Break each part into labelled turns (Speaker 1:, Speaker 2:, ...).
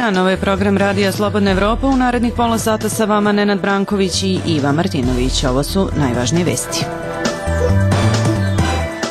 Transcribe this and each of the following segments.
Speaker 1: dan, ovo je program Radija Slobodna Evropa. U narednih pola sata sa vama Nenad Branković i Iva Martinović. Ovo su najvažnije vesti.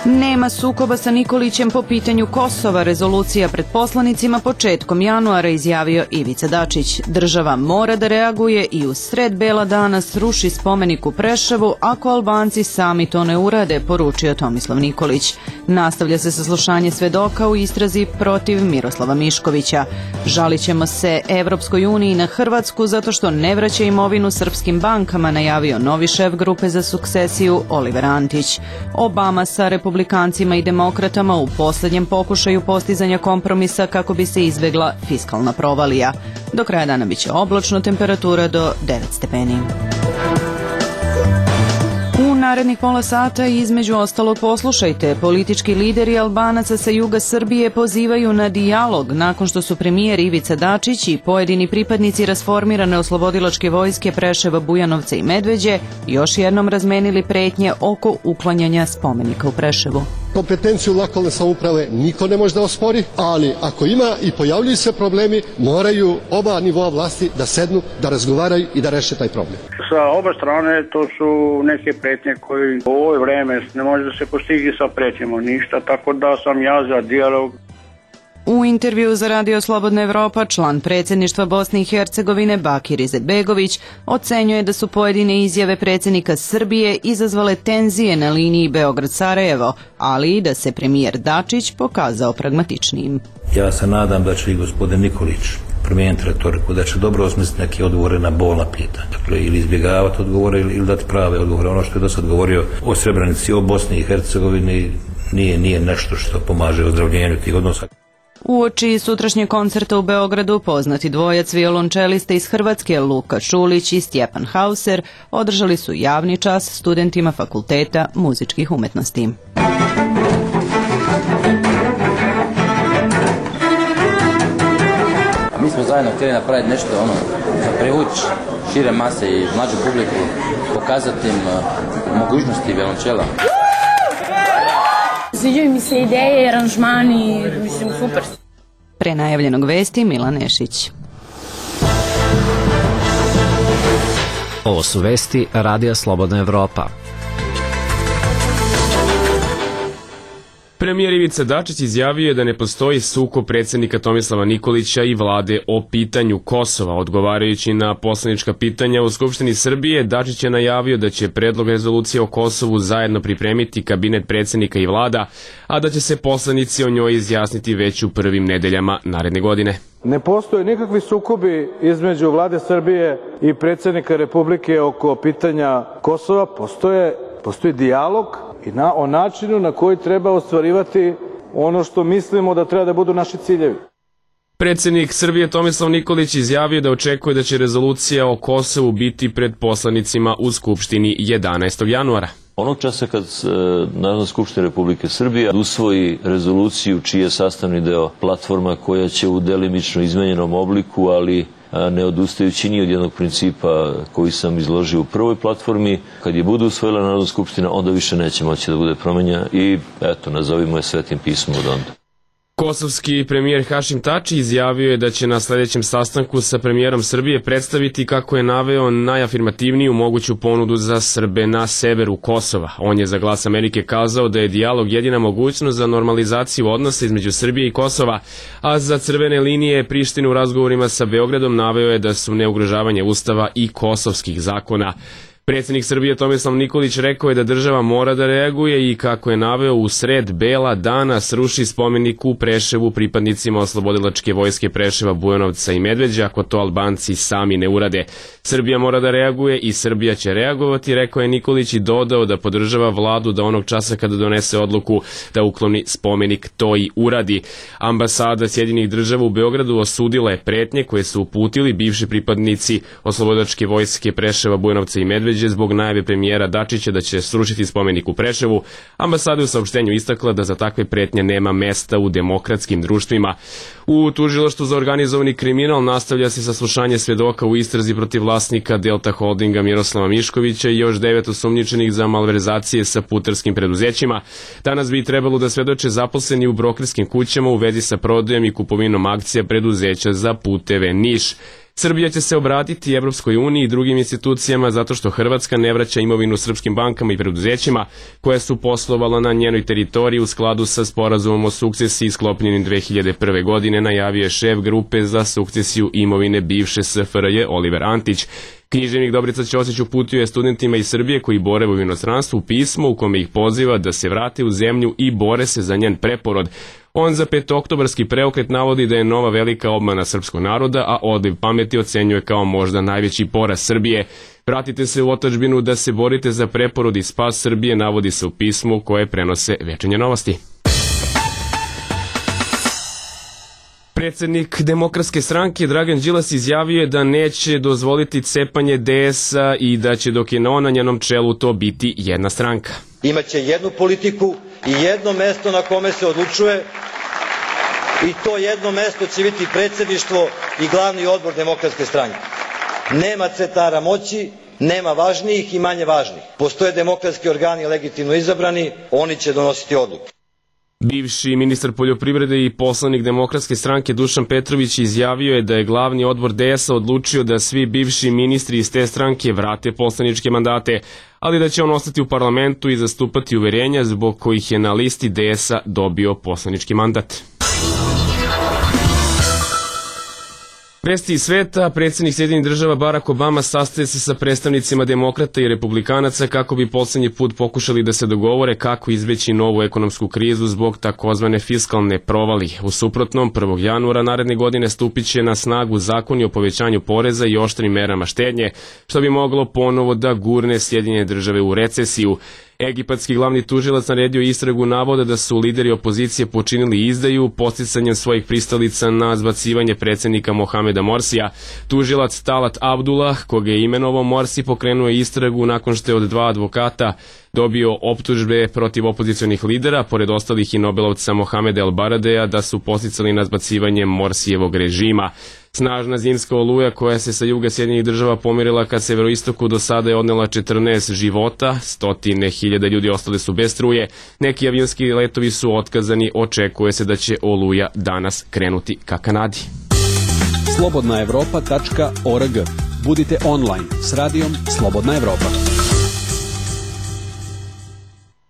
Speaker 1: Nema sukoba sa Nikolićem po pitanju Kosova. Rezolucija pred poslanicima početkom januara, izjavio Ivica Dačić. Država mora da reaguje i u sred bela dana sruši spomenik u Preševu ako Albanci sami to ne urade, poručio Tomislav Nikolić. Nastavlja se saslušanje svedoka u istrazi protiv Miroslava Miškovića. Žalit ćemo se Evropskoj uniji na Hrvatsku zato što ne vraća imovinu srpskim bankama, najavio novi šef grupe za sukcesiju Oliver Antić. Obama sa republikancima i demokratama u poslednjem pokušaju postizanja kompromisa kako bi se izbegla fiskalna provalija. Do kraja dana biće oblačno, temperatura do 9 stepeni. U narednih pola sata između ostalog poslušajte. Politički lideri Albanaca sa juga Srbije pozivaju na dijalog nakon što su premijer Ivica Dačić i pojedini pripadnici rasformirane oslobodilačke vojske Preševa, Bujanovca i Medveđe još jednom razmenili pretnje oko uklanjanja spomenika u Preševu.
Speaker 2: Kompetenciju lokalne samouprave niko ne može da ospori, ali ako ima i pojavljuju se problemi, moraju oba nivoa vlasti da sednu, da razgovaraju i da reše taj problem.
Speaker 3: Sa oba strane to su neke pretnje koje u ovo vreme ne može da se postigli sa pretnjama ništa, tako da sam ja za dijalog.
Speaker 1: U intervju za Radio Slobodna Evropa član predsjedništva Bosne i Hercegovine Bakir Izetbegović ocenjuje da su pojedine izjave predsjednika Srbije izazvale tenzije na liniji Beograd-Sarajevo, ali i da se premijer Dačić pokazao pragmatičnijim.
Speaker 4: Ja se nadam da će i gospodin Nikolić promijeniti retoriku, da će dobro osmisliti neke odgovore na bolna pitanja. Dakle, ili izbjegavati odgovore ili dati prave odgovore. Ono što je do sad govorio o Srebrenici, o Bosni i Hercegovini nije nešto što pomaže ozdravljenju tih odnosa.
Speaker 1: Uoči sutrašnjeg koncerta u Beogradu poznati dvojac violončelista iz Hrvatske Luka Šulić i Stjepan Hauser održali su javni čas studentima Fakulteta muzičkih umetnosti.
Speaker 5: Mi smo zajedno htjeli napraviti nešto za privući šire mase i mlađu publiku, pokazati im mogućnosti violončela.
Speaker 6: Sviđaju mi se ideje, aranžmani, mislim, super.
Speaker 1: Pre najavljenog vesti Milan Nešić.
Speaker 7: Ovo su vesti Radija Slobodna Evropa.
Speaker 8: Premijer Ivica Dačić izjavio je da ne postoji sukob predsjednika Tomislava Nikolića i vlade o pitanju Kosova. Odgovarajući na poslanička pitanja u Skupštini Srbije, Dačić je najavio da će predlog rezolucije o Kosovu zajedno pripremiti kabinet predsjednika i vlada, a da će se poslanici o njoj izjasniti već u prvim nedeljama naredne godine.
Speaker 9: Ne postoje nikakvi sukobi između vlade Srbije i predsjednika Republike oko pitanja Kosova. Postoji dijalog i o načinu na koji treba ostvarivati ono što mislimo da treba da budu naši ciljevi.
Speaker 8: Predsjednik Srbije Tomislav Nikolić izjavio da očekuje da će rezolucija o Kosovu biti pred poslanicima u Skupštini 11. januara.
Speaker 10: Onog časa kad Narodna skupština Republike Srbije usvoji rezoluciju čiji je sastavni deo platforma koja će u delimično izmenjenom obliku, ali ne odustajući ni od jednog principa koji sam izložio u prvoj platformi, kad je bude usvojila Narodna skupština, onda više neće moći da bude promenja i eto, nazovimo je svetim pismom od onda.
Speaker 8: Kosovski premijer Hašim Tači izjavio je da će na sljedećem sastanku sa premijerom Srbije predstaviti, kako je naveo, najafirmativniju moguću ponudu za Srbe na severu Kosova. On je za Glas Amerike kazao da je dijalog jedina mogućnost za normalizaciju odnosa između Srbije i Kosova, a za crvene linije Prištine u razgovorima sa Beogradom naveo je da su neugrožavanje Ustava i kosovskih zakona. Predsjednik Srbije Tomislav Nikolić rekao je da država mora da reaguje i, kako je naveo, u sred bela dana sruši spomenik u Preševu pripadnicima oslobodilačke vojske Preševa, Bujanovca i Medveđa ako to Albanci sami ne urade. Srbija mora da reaguje i Srbija će reagovati, rekao je Nikolić, i dodao da podržava vladu da onog časa kada donese odluku da ukloni spomenik to i uradi. Ambasada Sjedinjenih Država u Beogradu osudila je pretnje koje su uputili bivši pripadnici oslobodilačke vojske Preševa, Bujanovca i Medveđa Medveđe zbog najave premijera Dačića da će srušiti spomenik u Preševu, ambasada je u saopštenju istakla da za takve pretnje nema mesta u demokratskim društvima. U tužilaštvu za organizovani kriminal nastavlja se saslušanje svedoka u istrazi protiv vlasnika Delta Holdinga Miroslava Miškovića i još 9 osumnjičenih za malverzacije sa putarskim preduzećima. Danas bi trebalo da svedoče zaposleni u brokerskim kućama u vezi sa prodajom i kupovinom akcija preduzeća za puteve Niš. Srbija će se obratiti Evropskoj uniji i drugim institucijama zato što Hrvatska ne vraća imovinu srpskim bankama i preduzećima koje su poslovala na njenoj teritoriji u skladu sa sporazumom o sukcesiji sklopljenim 2001. godine, najavio je šef grupe za sukcesiju imovine bivše SFRJ Oliver Antić. Književnik Dobrica Ćosić uputio je studentima iz Srbije koji borave u inostranstvu pismo u kome ih poziva da se vrate u zemlju i bore se za njen preporod. On za petooktobarski preokret navodi da je nova velika obmana srpskog naroda, a odliv pameti ocenjuje kao možda najveći poraz Srbije. Vratite se u otadžbinu da se borite za preporod i spas Srbije, navodi se u pismu koje prenose Večernje novosti. Predsednik Demokratske stranke Dragan Đilas izjavio je da neće dozvoliti cepanje DS-a i da će dok je on na njenom čelu to biti jedna stranka.
Speaker 11: Imaće jednu politiku i jedno mesto na kome se odlučuje i to jedno mesto će biti predsedništvo i glavni odbor Demokratske stranke. Nema centara moći, nema važnijih i manje važnih. Postoje demokratski organi legitimno izabrani, oni će donositi odluke.
Speaker 8: Bivši ministar poljoprivrede i poslanik Demokratske stranke Dušan Petrović izjavio je da je glavni odbor DS-a odlučio da svi bivši ministri iz te stranke vrate poslaničke mandate, ali da će on ostati u parlamentu i zastupati uverenja zbog kojih je na listi DS-a dobio poslanički mandat. Vesti iz sveta, predsjednik Sjedinjenih Država Barack Obama sastaje se sa predstavnicima demokrata i republikanaca kako bi poslednji put pokušali da se dogovore kako izbeći novu ekonomsku krizu zbog takozvane fiskalne provali. U suprotnom, 1. januara naredne godine stupit će na snagu zakoni o povećanju poreza i oštrim merama štednje, što bi moglo ponovo da gurne Sjedinjene Države u recesiju. Egipatski glavni tužilac naredio istragu navoda da su lideri opozicije počinili izdaju podsticanjem svojih pristalica na zbacivanje predsjednika Mohameda Morsija. Tužilac Talat Abdullah, koga je imenovao Morsi, pokrenuo je istragu nakon što je od 2 advokata dobio optužbe protiv opozicionih lidera, pored ostalih i Nobelovca Mohameda El Baradeja, da su podsticali na zbacivanje Morsijevog režima. Snažna zimska oluja koja se sa juga Sjedinjenih Država pomirila ka severoistoku do sada je odnela 14 života, 100.000 ljudi ostali su bez struje, neki avionski letovi su otkazani, očekuje se da će oluja danas krenuti ka Kanadi.
Speaker 12: slobodnaevropa.org. Budite online s radijom Slobodna Evropa.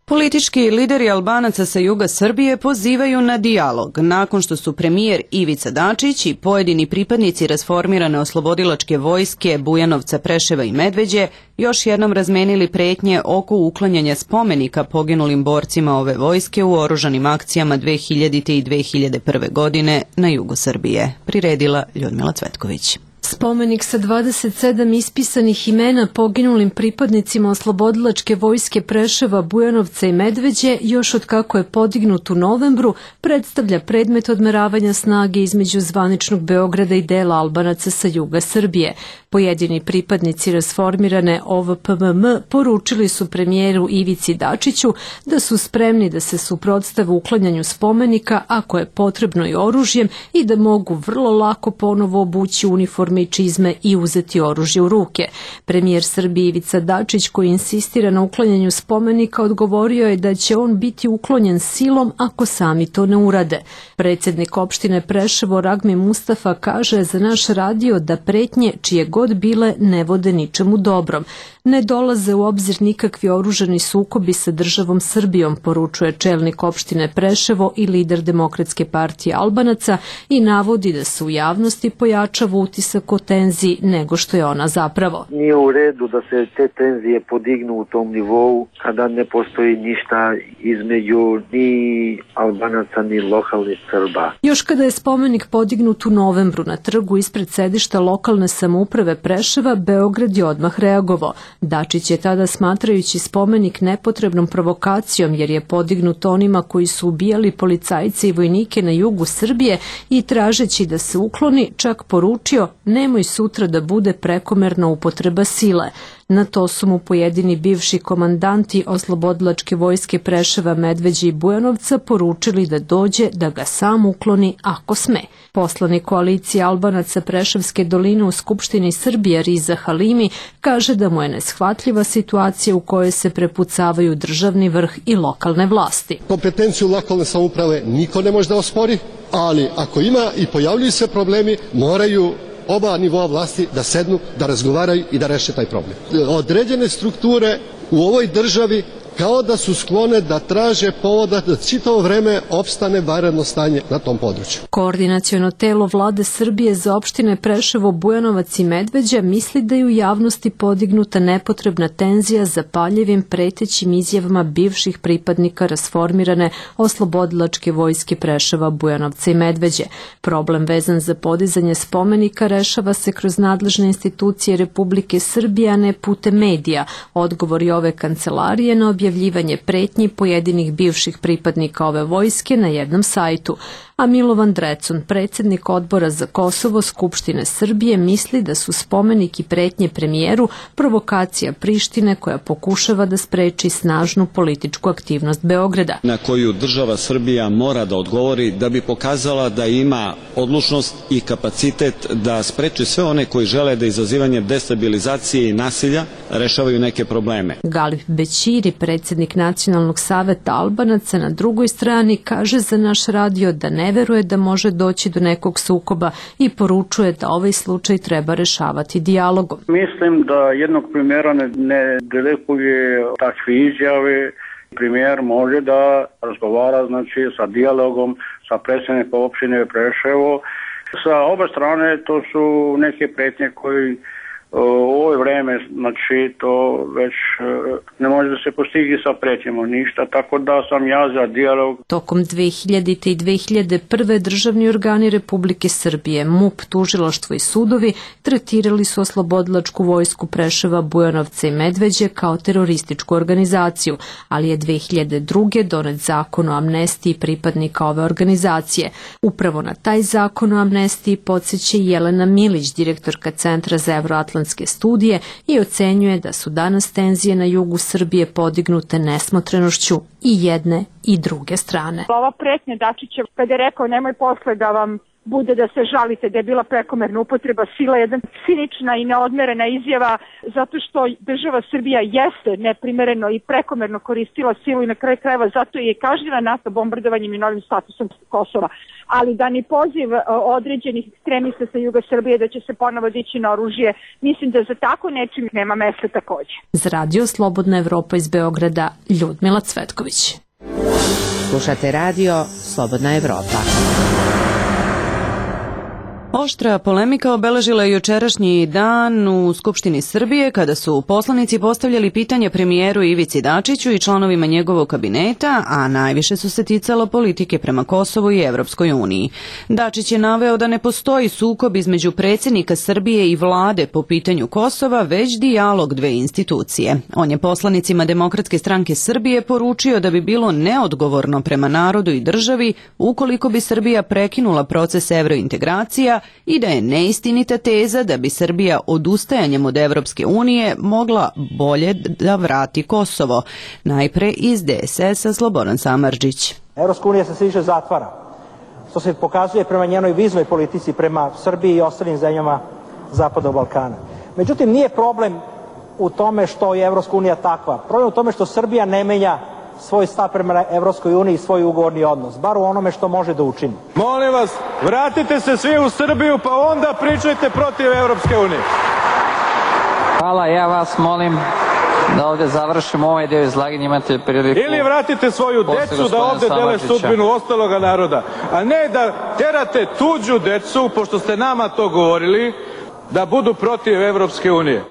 Speaker 1: Politički lideri Albanaca sa juga Srbije pozivaju na dijalog nakon što su premijer Ivica Dačić i pojedini pripadnici rasformirane oslobodilačke vojske Bujanovca, Preševa i Medveđe još jednom razmenili pretnje oko uklanjanja spomenika poginulim borcima ove vojske u oružanim akcijama 2000. i 2001. godine na jugu Srbije. Priredila Ljudmila Cvetković.
Speaker 13: Spomenik sa 27 ispisanih imena poginulim pripadnicima oslobodilačke vojske Preševa, Bujanovca i Medveđe, još od kako je podignut u novembru, predstavlja predmet odmeravanja snage između zvaničnog Beograda i dela Albanaca sa juga Srbije. Pojedini pripadnici rasformirane OVPMM poručili su premijeru Ivici Dačiću da su spremni da se suprotstave uklanjanju spomenika ako je potrebno i oružjem i da mogu vrlo lako ponovo obući uniforme i čizme i uzeti oružje u ruke. Premijer Srbije Ivica Dačić, koji insistira na uklanjanju spomenika, odgovorio je da će on biti uklonjen silom ako sami to ne urade. Predsjednik opštine Preševo Ragmi Mustafa kaže za naš radio da pretnje čije god bile ne vode ničemu dobrom. Ne dolaze u obzir nikakvi oružani sukobi sa državom Srbijom, poručuje čelnik opštine Preševo i lider Demokratske partije Albanaca i navodi da se u javnosti pojačava utisak o tenziji nego što je ona zapravo.
Speaker 14: Nije u redu da se te tenzije podignu u tom nivou kada ne postoji ništa između ni Albanaca ni lokalnih Srba.
Speaker 13: Još kada je spomenik podignut u novembru na trgu ispred sedišta lokalne samouprave Preševa, Beograd je odmah reagovao. Dačić je tada, smatrajući spomenik nepotrebnom provokacijom jer je podignut onima koji su ubijali policajce i vojnike na jugu Srbije i tražeći da se ukloni, čak poručio nemoj sutra da bude prekomerna upotreba sile. Na to su mu pojedini bivši komandanti Oslobodilačke vojske Preševa, Medveđe i Bujanovca poručili da dođe da ga sam ukloni ako sme. Poslanik koalicije Albanaca Preševske doline u Skupštini Srbije Riza Halimi kaže da mu je neshvatljiva situacija u kojoj se prepucavaju državni vrh i lokalne vlasti.
Speaker 2: Kompetenciju lokalne samouprave niko ne može da ospori, ali ako ima i pojavljuju se problemi, moraju oba nivoa vlasti da sednu, da razgovaraju i da reše taj problem. Određene strukture u ovoj državi kao da su sklone da traže povoda da čitavo vreme opstane vanredno stanje na tom području.
Speaker 13: Koordinaciono telo Vlade Srbije za opštine Preševo, Bujanovac i Medveđa misli da je u javnosti podignuta nepotrebna tenzija zapaljivim pretećim izjavama bivših pripadnika rasformirane Oslobodilačke vojske Preševa, Bujanovca i Medveđe. Problem vezan za podizanje spomenika rešava se kroz nadležne institucije Republike Srbije, a ne putem medija. Odgovori ove kancelarije na objavljivanje pretnji pojedinih bivših pripadnika ove vojske na jednom sajtu. A Milovan Drecun, predsjednik Odbora za Kosovo Skupštine Srbije, misli da su spomenik i pretnje premijeru provokacija Prištine koja pokušava da spreči snažnu političku aktivnost Beograda.
Speaker 12: Na koju država Srbija mora da odgovori da bi pokazala da ima odlučnost i kapacitet da spreči sve one koji žele da izazivanjem destabilizacije i nasilja rešavaju neke probleme.
Speaker 13: Galip Bećiri, predsjednik Nacionalnog saveta Albanaca, na drugoj strani kaže za naš radio da ne veruje da može doći do nekog sukoba i poručuje da ovaj slučaj treba rešavati dijalogom.
Speaker 3: Mislim da jednog premijera ne delikuje takve izjave. Premijer može da razgovara sa dijalogom sa predsjednikom opštine Preševo. Sa oba strane to su neke pretnje koji u ovo vreme, to već ne može da se postigli sa pretnjama ništa, tako da sam ja za dijalog.
Speaker 13: Tokom 2000. i 2001. državni organi Republike Srbije, MUP, tužilaštvo i sudovi tretirali su Oslobodilačku vojsku Preševa, Bujanovca i Medveđe kao terorističku organizaciju, ali je 2002. donet zakon o amnestiji pripadnika ove organizacije. Upravo na taj zakon o amnestiji podsjeća Jelena Milić, direktorka Centra za evroatlantske studije, i ocenjuje da su danas tenzije na jugu Srbije podignute nesmotrenošću i jedne i druge strane.
Speaker 15: Ova pretnja Dačića kada je rekao nemoj posle da vam bude da se žalite da je bila prekomerna upotreba sila, jedna cinična i neodmerena izjava, zato što država Srbija jeste neprimereno i prekomerno koristila silu i na kraju krajeva zato je kažnjena NATO bombardovanjem i novim statusom Kosova. Ali da ni poziv određenih ekstremista sa juga Srbije da će se ponovo dići na oružje, mislim da za tako nečim nema mesta takođe.
Speaker 13: Za radio Slobodna Evropa iz Beograda, Ljudmila Cvetković.
Speaker 16: Slušate radio Slobodna Evropa.
Speaker 1: Oštra polemika obeležila je jučerašnji dan u Skupštini Srbije kada su poslanici postavljali pitanje premijeru Ivici Dačiću i članovima njegovog kabineta, a najviše su se ticalo politike prema Kosovu i Evropskoj uniji. Dačić je naveo da ne postoji sukob između predsjednika Srbije i vlade po pitanju Kosova, već dijalog dve institucije. On je poslanicima Demokratske stranke Srbije poručio da bi bilo neodgovorno prema narodu i državi ukoliko bi Srbija prekinula proces evrointegracija i da je neistinita teza da bi Srbija odustajanjem od Evropske unije mogla bolje da vrati Kosovo. Najpre iz DSS-a Slobodan Samardžić.
Speaker 17: Evropska unija se sve više zatvara, što se pokazuje prema njenoj viznoj politici prema Srbiji i ostalim zemljama Zapadnog Balkana. Međutim, nije problem u tome što je Evropska unija takva. Problem u tome što Srbija ne menja svoj stav prema Evropskoj uniji i svoj ugovorni odnos, bar u onome što može da učini.
Speaker 9: Molim vas, vratite se svi u Srbiju pa onda pričajte protiv Evropske unije.
Speaker 18: Hvala, ja vas molim da ovde završimo ovaj deo izlaganja, imate priliku.
Speaker 9: Ili vratite svoju decu da ovde dele sudbinu ostaloga naroda, a ne da terate tuđu decu, pošto ste nama to govorili, da budu protiv Evropske unije.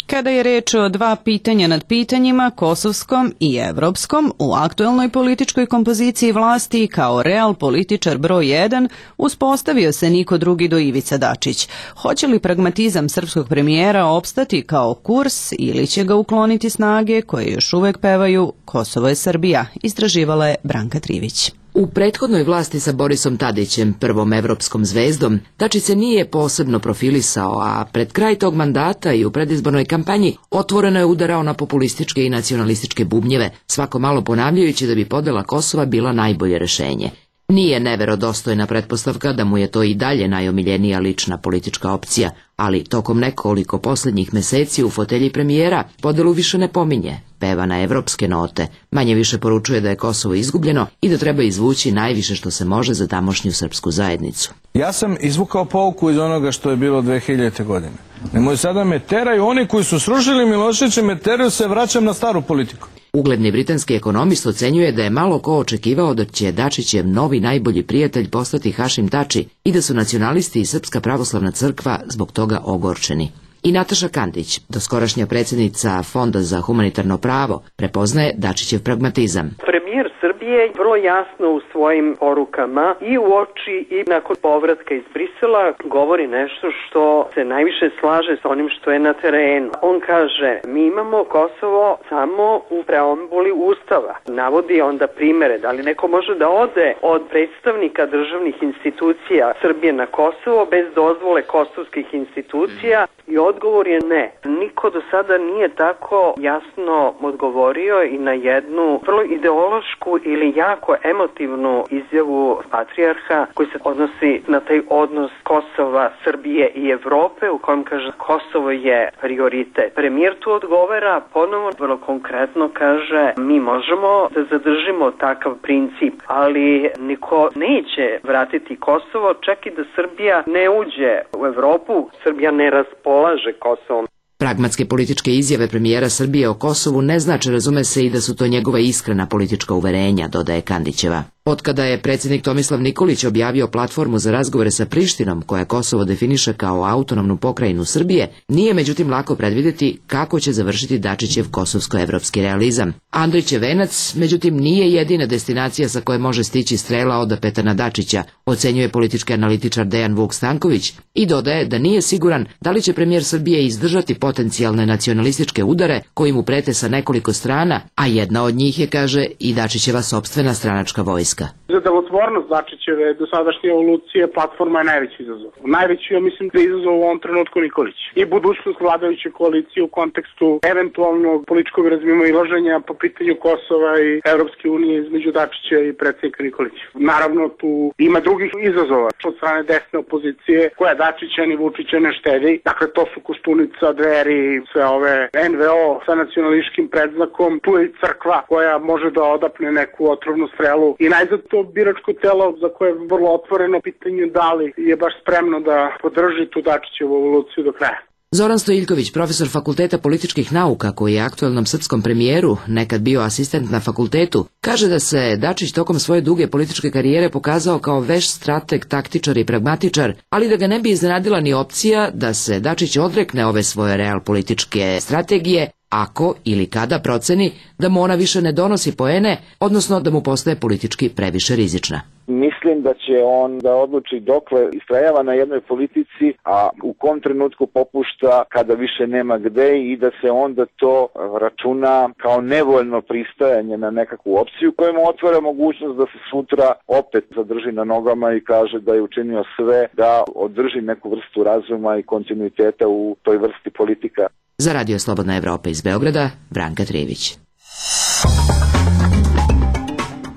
Speaker 1: Kada je reč o dva pitanja nad pitanjima, kosovskom i evropskom, u aktuelnoj političkoj kompoziciji vlasti kao real političar broj 1 uspostavio se niko drugi do Ivica Dačić. Hoće li pragmatizam srpskog premijera opstati kao kurs ili će ga ukloniti snage koje još uvek pevaju Kosovo je Srbija, istraživala je Branka Trivić.
Speaker 19: U prethodnoj vlasti sa Borisom Tadićem, prvom evropskom zvezdom, Dačić se nije posebno profilisao, a pred kraj tog mandata i u predizbornoj kampanji otvoreno je udarao na populističke i nacionalističke bubnjeve, svako malo ponavljajući da bi podela Kosova bila najbolje rešenje. Nije neverodostojna pretpostavka da mu je to i dalje najomiljenija lična politička opcija, ali tokom nekoliko poslednjih meseci u fotelji premijera podelu više ne pominje, peva na evropske note, manje više poručuje da je Kosovo izgubljeno i da treba izvući najviše što se može za tamošnju srpsku zajednicu.
Speaker 9: Ja sam izvukao pouku iz onoga što je bilo 2000. godine. Nemoj sada me teraju, oni koji su srušili Miloševića me teraju, se vraćam na staru politiku.
Speaker 19: Ugledni britanski ekonomist ocenjuje da je malo ko očekivao da će Dačićev novi najbolji prijatelj postati Hašim Tači i da su nacionalisti i Srpska pravoslavna crkva zbog toga ogorčeni. I Nataša Kandić, doskorašnja predsjednica Fonda za humanitarno pravo, prepoznaje Dačićev pragmatizam.
Speaker 20: Premijer Srbije vrlo jasno u svojim porukama i u oči i nakon povratka iz Brisela govori nešto što se najviše slaže sa onim što je na terenu. On kaže, mi imamo Kosovo samo u preambuli Ustava. Navodi onda primere, da li neko može da ode od predstavnika državnih institucija Srbije na Kosovo bez dozvole kosovskih institucija i odgovor je ne. Niko do sada nije tako jasno odgovorio i na jednu vrlo ideološku ili jako emotivnu izjavu patrijarha koji se odnosi na taj odnos Kosova, Srbije i Evrope u kojem kaže Kosovo je prioritet. Premijer tu odgovara ponovo vrlo konkretno kaže mi možemo da zadržimo takav princip, ali niko neće vratiti Kosovo čak i da Srbija ne uđe u Evropu, Srbija ne raspolaže Kosovom.
Speaker 19: Pragmatske političke izjave premijera Srbije o Kosovu ne znači, razume se, i da su to njegova iskrena politička uverenja, dodaje Kandićeva. Otkada je predsjednik Tomislav Nikolić objavio platformu za razgovore sa Prištinom, koja Kosovo definiše kao autonomnu pokrajinu Srbije, nije međutim lako predvideti kako će završiti Dačićev kosovsko-evropski realizam. Andrićev venac, međutim, nije jedina destinacija sa koje može stići strela od Petana Dačića, ocenjuje politički analitičar Dejan Vuk Stanković i dodaje da nije siguran da li će premijer Srbije izdržati potencijalne nacionalističke udare koji mu prete sa nekoliko strana, a jedna od njih je, kaže, i Dačićeva sopstvena stranačka vojska.
Speaker 21: Za delotvornost Dačićeve dosadašnje evolucije platforma je najveći izazov. Najveći, ja mislim, da je izazov u ovom trenutku Nikolić. I budućnost vladajuće koalicije u kontekstu eventualnog političkog razmimoilaženja po pitanju Kosova i Evropske unije između Dačića i predsjednika Nikolića. Naravno, tu ima drugih izazova od strane desne opozicije koja Dačića ni Vučića ne štedi. Dakle, to su Koštunica, Dveri, sve ove NVO sa nacionalističkim predznakom. Tu je i crkva koja može da odapne neku otrovnu strelu i najzad to biračko telo za koje je vrlo otvoreno pitanje da li je baš spremno da podrži tu Dačićevu evoluciju do kraja.
Speaker 19: Zoran Stojiljković, profesor Fakulteta političkih nauka koji je aktuelnom srpskom premijeru, nekad bio asistent na fakultetu, kaže da se Dačić tokom svoje duge političke karijere pokazao kao veš strateg, taktičar i pragmatičar, ali da ga ne bi iznenadila ni opcija da se Dačić odrekne ove svoje real političke strategije ako ili kada proceni da mu ona više ne donosi poene, odnosno da mu postaje politički previše rizična.
Speaker 22: Mislim da će on da odluči dokle istrajava na jednoj politici, a u kom trenutku popušta kada više nema gde i da se onda to računa kao nevoljno pristajanje na nekakvu opciju koja mu otvara mogućnost da se sutra opet zadrži na nogama i kaže da je učinio sve da održi neku vrstu razuma i kontinuiteta u toj vrsti politika.
Speaker 19: Za Radio Slobodna Evropa iz Beograda, Branka Trijević.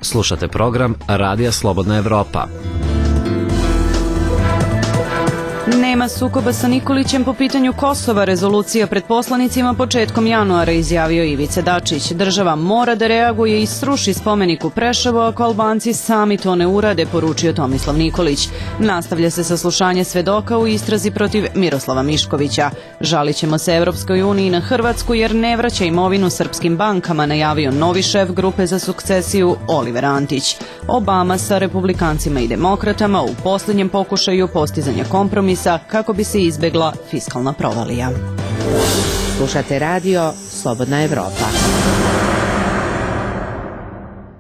Speaker 7: Slušate program Radija Slobodna Evropa.
Speaker 1: Nema sukoba sa Nikolićem po pitanju Kosova, rezolucija pred poslanicima početkom januara, izjavio Ivica Dačić. Država mora da reaguje i sruši spomenik u Preševu ako Albanci sami to ne urade, poručio Tomislav Nikolić. Nastavlja se saslušanje svedoka u istrazi protiv Miroslava Miškovića. Žalit ćemo se Evropskoj uniji na Hrvatsku jer ne vraća imovinu srpskim bankama, najavio novi šef grupe za sukcesiju Oliver Antić. Obama sa republikancima i demokratama u posljednjem pokušaju postizanja kompromisa kako bi se izbegla fiskalna provalija.
Speaker 16: Slušate radio Slobodna Evropa.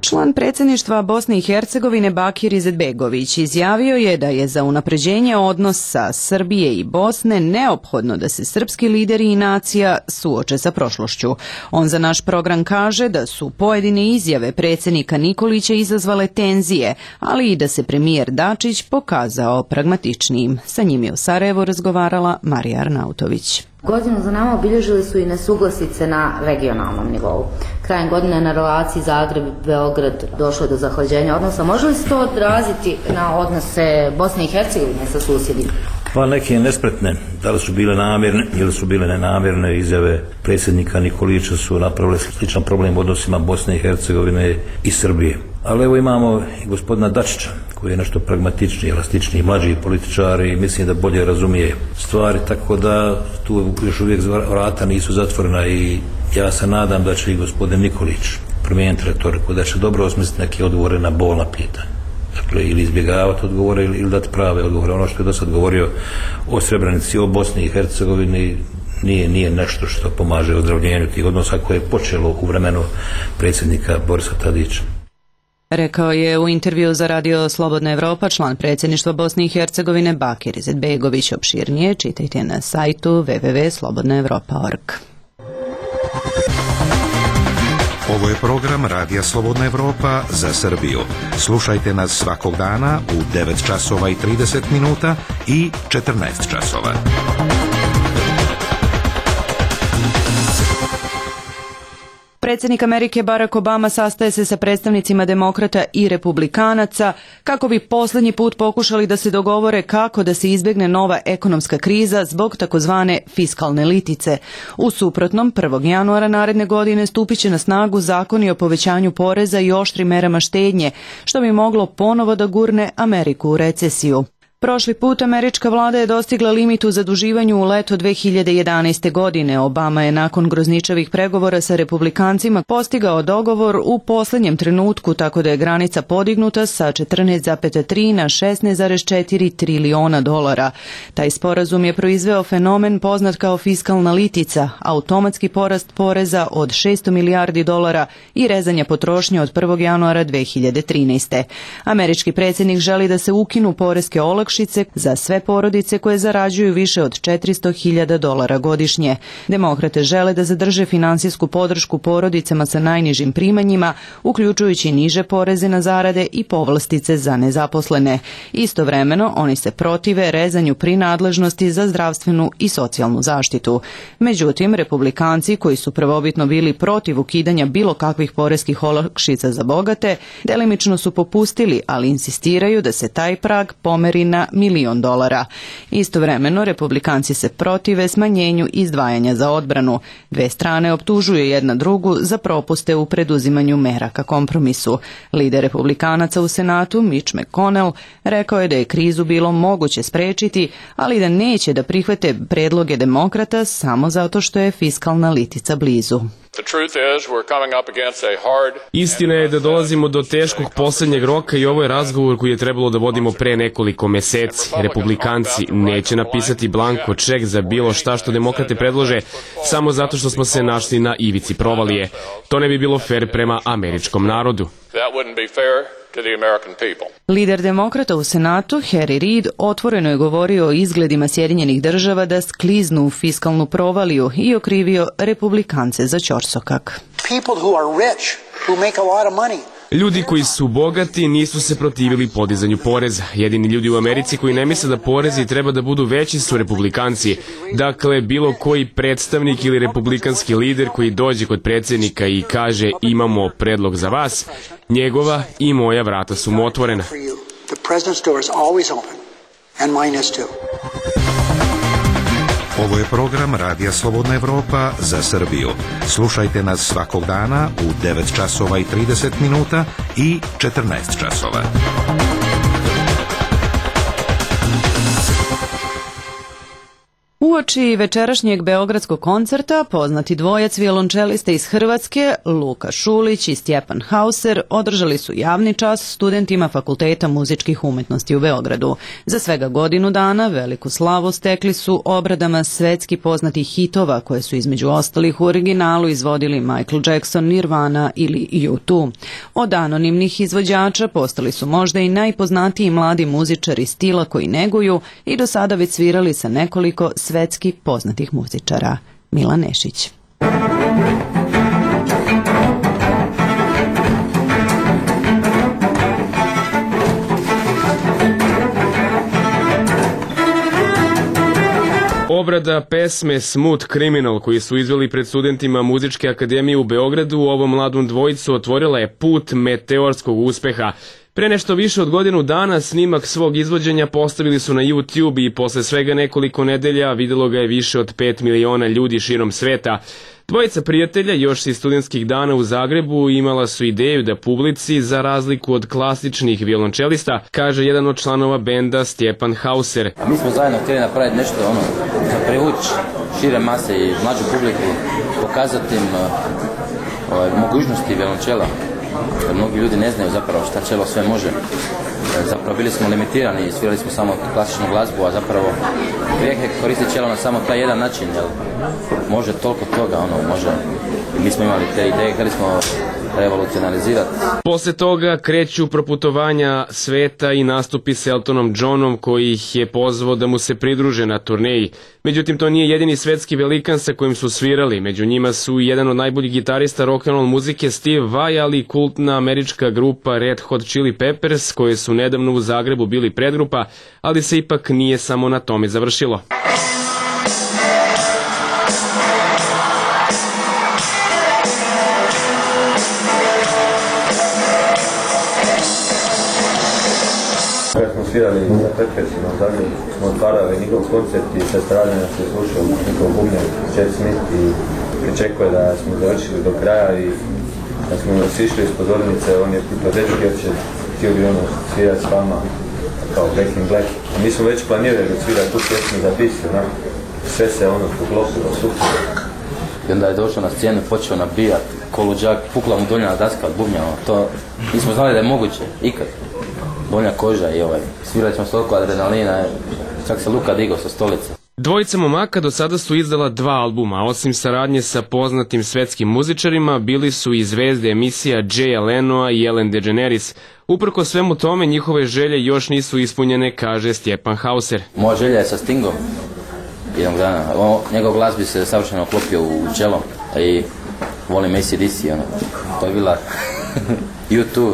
Speaker 1: Član predsjedništva Bosne i Hercegovine Bakir Izetbegović izjavio je da je za unapređenje odnosa Srbije i Bosne neophodno da se srpski lideri i nacija suoče sa prošlošću. On za naš program kaže da su pojedine izjave predsjednika Nikolića izazvale tenzije, ali i da se premijer Dačić pokazao pragmatičnijim. Sa njim je u Sarajevu razgovarala Marija Arnautović.
Speaker 4: Godinu za nama obilježili su i nesuglasice na regionalnom nivou. Krajem godine na relaciji Zagreb-Beograd došlo do zahlađenja odnosa. Može li se to odraziti na odnose Bosne i Hercegovine sa susjedima?
Speaker 5: Pa neke nespretne, da li su bile namjerne ili su bile nenamjerne izjave predsjednika Nikolića su napravile sličan problem u odnosima Bosne i Hercegovine i Srbije. Ali evo imamo i gospodina Dačića koji je nešto pragmatičniji, elastičniji, mlađi političar i mislim da bolje razumije stvari, tako da tu još uvijek vrata nisu zatvorena i ja se nadam da će i gospodin Nikolić promijeniti retoriku, da će dobro osmisliti neke odgovore na bolna pitanja. Dakle, ili izbjegavati odgovore ili dati prave odgovore. Ono što je do sad govorio o Srebrenici, o Bosni i Hercegovini nije nešto što pomaže ozdravljenju tih odnosa koje je počelo u vremenu predsjednika Borisa Tadića.
Speaker 1: Rekao je u intervju za Radio Slobodna Evropa član predsjedništva Bosne i Hercegovine Bakir Izetbegović. Opširnije čitajte na sajtu www.slobodnaevropa.org.
Speaker 23: Ovo je program Radija Slobodna Evropa za Srbiju. Slušajte nas svakog dana u 9 časova i 30 minuta i 14 časova.
Speaker 1: Predsjednik Amerike Barack Obama sastaje se sa predstavnicima demokrata i republikanaca kako bi posljednji put pokušali da se dogovore kako da se izbjegne nova ekonomska kriza zbog takozvane fiskalne litice. U suprotnom, 1. januara naredne godine stupit će na snagu zakoni o povećanju poreza i oštrim merama štednje, što bi moglo ponovo da gurne Ameriku u recesiju. Prošli put američka vlada je dostigla limit u zaduživanju u leto 2011. godine. Obama je nakon grozničavih pregovora sa republikancima postigao dogovor u posljednjem trenutku, tako da je granica podignuta sa 14,3 na 16,4 triliona dolara. Taj sporazum je proizveo fenomen poznat kao fiskalna litica, automatski porast poreza od 600 milijardi dolara i rezanja potrošnje od 1. januara 2013. Američki predsjednik želi da se ukinu poreske olakšice za sve porodice koje zarađuju više od 400.000 dolara godišnje. Demokrate žele da zadrže finansijsku podršku porodicama sa najnižim primanjima, uključujući niže poreze na zarade i povlastice za nezaposlene. Istovremeno, oni se protive rezanju prinadležnosti za zdravstvenu i socijalnu zaštitu. Međutim, republikanci koji su prvobitno bili protiv ukidanja bilo kakvih poreskih olakšica za bogate, delimično su popustili, ali insistiraju da se taj prag pomeri na $1.000.000 dolara. Istovremeno, republikanci se protive smanjenju izdvajanja za odbranu. Dve strane optužuju jedna drugu za propuste u preduzimanju mera ka kompromisu. Lider republikanaca u Senatu, Mitch McConnell, rekao je da je krizu bilo moguće sprečiti, ali da neće da prihvate predloge demokrata samo zato što je fiskalna litica blizu.
Speaker 8: Istina je da dolazimo do teškog posljednjeg roka i ovo je razgovor koji je trebalo da vodimo pre nekoliko meseci. Republikanci neće napisati blanko ček za bilo šta što demokrate predlože samo zato što smo se našli na ivici provalije. To ne bi bilo fer prema američkom narodu.
Speaker 1: Lider demokrata u Senatu, Harry Reid, otvoreno je govorio o izgledima Sjedinjenih Država da skliznu u fiskalnu provaliju i okrivio republikance za ćorsokak.
Speaker 8: Ljudi koji su bogati nisu se protivili podizanju poreza. Jedini ljudi u Americi koji ne misle da porezi treba da budu veći su republikanci. Dakle, bilo koji predstavnik ili republikanski lider koji dođe kod predsjednika i kaže imamo predlog za vas, njegova i moja vrata su mu otvorena.
Speaker 23: Ovo je program Radija Slobodna Evropa za Srbiju. Slušajte nas svakog dana u 9 časova i 30 minuta i 14 časova.
Speaker 1: Uoči večerašnjeg beogradskog koncerta poznati dvojac violončelista iz Hrvatske, Luka Šulić i Stjepan Hauser, održali su javni čas studentima Fakulteta muzičkih umetnosti u Beogradu. Za svega godinu dana veliku slavu stekli su obradama svetski poznatih hitova koje su između ostalih u originalu izvodili Michael Jackson, Nirvana ili U2. Od anonimnih izvođača postali su možda i najpoznatiji mladi muzičari stila koji neguju i do sada već svirali sa nekoliko svetski poznatih muzičara. Milan Nešić.
Speaker 8: Obrada pesme Smooth Criminal koji su izveli pred studentima Muzičke akademije u Beogradu ovom mladom dvojicu otvorila je put meteorskog uspeha. Pre nešto više od godinu dana snimak svog izvođenja postavili su na YouTube i posle svega nekoliko nedelja videlo ga je više od 5 miliona ljudi širom sveta. Dvojica prijatelja još iz studentskih dana u Zagrebu imala su ideju da publici, za razliku od klasičnih violončelista, kaže jedan od članova benda Stjepan Hauser.
Speaker 6: A mi smo zajedno htjeli napraviti nešto za privući šire mase i mlađu publiku, pokazati im mogućnosti violončela. Jer mnogi ljudi ne znaju zapravo šta čelo sve može. Zapravo bili smo limitirani i svirali smo samo klasičnu glazbu, a zapravo grijeh je koristiti čelo na samo taj jedan način, jer može toliko toga, može. I mi smo imali te ideje, htjeli smo revolucionalizirati.
Speaker 8: Posle toga kreću proputovanja sveta i nastupi s Eltonom Johnom koji ih je pozvao da mu se pridruže na turneji. Međutim, to nije jedini svetski velikan sa kojim su svirali. Među njima su i jedan od najboljih gitarista rock'n'roll muzike Steve Vai, ali i kultna američka grupa Red Hot Chili Peppers koje su nedavno u Zagrebu bili predgrupa, ali se ipak nije samo na tome završilo.
Speaker 10: Kad smo svirali za Peppersima u Zagrebu, smo otvarali njihov koncert i sa strane nas je slušao njihov bubnjar Chad Smith i pričekuje da smo završili do kraja i kad smo sišli iz pozornice, on je pitao dečki jer će htjeli svirati s vama kao Back in Black. A mi smo već planirali da svira tu pjesmu za bis, sve se poklopilo, super.
Speaker 6: I onda je došao na scenu, počeo nabijat koluđak, pukla mu donja daska od bubnja, to nismo znali da je moguće, ikad. Donja koža i svirali smo s toliko adrenalina, čak se Luka digao sa stolice.
Speaker 8: Dvojica momaka do sada su izdala 2 albuma, osim saradnje sa poznatim svetskim muzičarima, bili su i zvezde emisija Jaya Lenoa i Ellen DeGeneres. Uprko svemu tome, njihove želje još nisu ispunjene, kaže Stjepan Hauser.
Speaker 6: Moja želja je sa Stingom jednog dana. Njegov glas bi se savršeno uklopio u čelo i volim AC/DC, to je bila U2.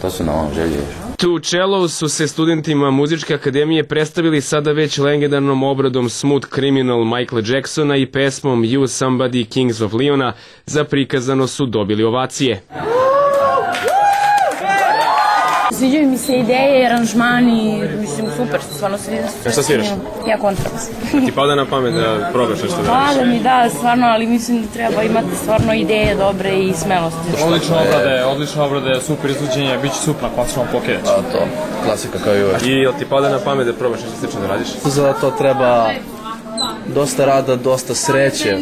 Speaker 6: To su na ovom želji još.
Speaker 8: Two Cellos su se studentima Muzičke akademije predstavili sada već legendarnom obradom Smooth Criminal Michaela Jacksona i pesmom You Somebody Kings of Leona. Za prikazano su dobili ovacije.
Speaker 11: Sviđaju mi se ideje, aranžmani, mislim, super, stvarno se vidim.
Speaker 8: Šta sviraš?
Speaker 11: Ja kontrabas.
Speaker 8: Ti pada na pamet da probaš nešto da radiš?
Speaker 11: Pada mi, da, stvarno, ali mislim da treba imati stvarno ideje dobre i smelosti.
Speaker 24: Odlične obrade, super izluđenje, bit će super na klasičnom pokidać.
Speaker 6: To, klasika kao i uvek.
Speaker 8: I jel ti pada na pamet da probaš nešto slično da radiš?
Speaker 24: Za to treba dosta rada, dosta sreće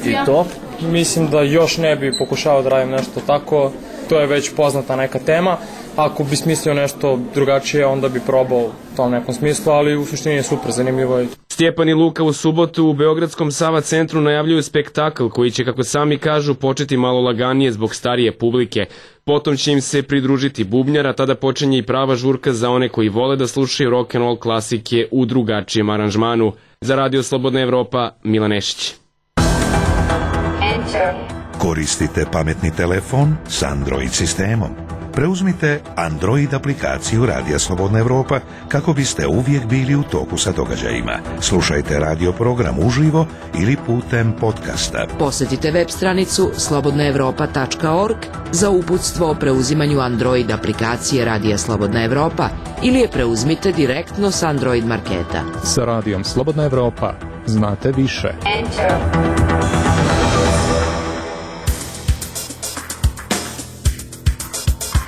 Speaker 24: i to. Mislim da još ne bi pokušao da radim nešto tako, to je već poznata neka tema. Ako bi smislio nešto drugačije, onda bi probao u tom nekom smislu, ali u suštini je super, zanimljivo je.
Speaker 8: Stjepan i Luka u subotu u Beogradskom Sava centru najavljuju spektakl koji će, kako sami kažu, početi malo laganije zbog starije publike. Potom će im se pridružiti bubnjar, a tada počinje i prava žurka za one koji vole da slušaju rock'n'roll klasike u drugačijem aranžmanu. Za Radio Slobodna Evropa, Milan Nešić.
Speaker 23: Koristite pametni telefon s Android sistemom. Preuzmite Android aplikaciju Radija Slobodna Evropa kako biste uvijek bili u toku sa događajima. Slušajte radio program uživo ili putem podcasta.
Speaker 19: Posjetite web stranicu slobodnaevropa.org za uputstvo o preuzimanju Android aplikacije Radija Slobodna Evropa ili je preuzmite direktno s Android marketa.
Speaker 25: Sa Radijom Slobodna Evropa znate više.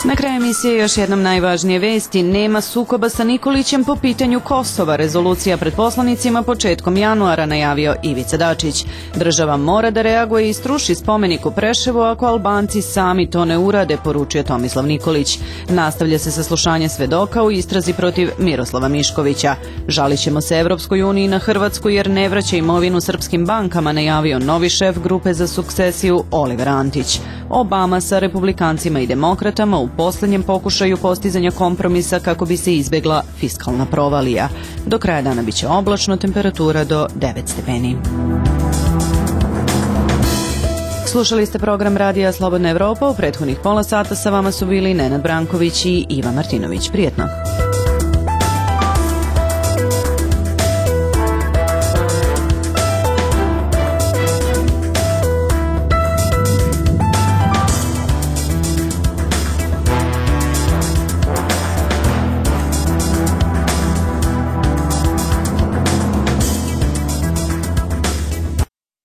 Speaker 1: Na kraju emisije još jednom najvažnije vesti. Nema sukoba sa Nikolićem po pitanju Kosova. Rezolucija pred poslanicima početkom januara najavio Ivica Dačić. Država mora da reaguje i struši spomenik u Preševu ako Albanci sami to ne urade, poručio Tomislav Nikolić. Nastavlja se saslušanje svedoka u istrazi protiv Miroslava Miškovića. Žalit ćemo se Evropskoj uniji na Hrvatsku jer ne vraća imovinu srpskim bankama, najavio novi šef grupe za sukcesiju Oliver Antić. Obama sa republikancima i demokratama u posljednjem pokušaju postizanja kompromisa kako bi se izbjegla fiskalna provalija. Do kraja dana biće oblačno, temperatura do 9 stepeni. Slušali ste program Radija Slobodna Evropa. U prethodnih pola sata sa vama su bili Nenad Branković i Iva Martinović. Prijetno!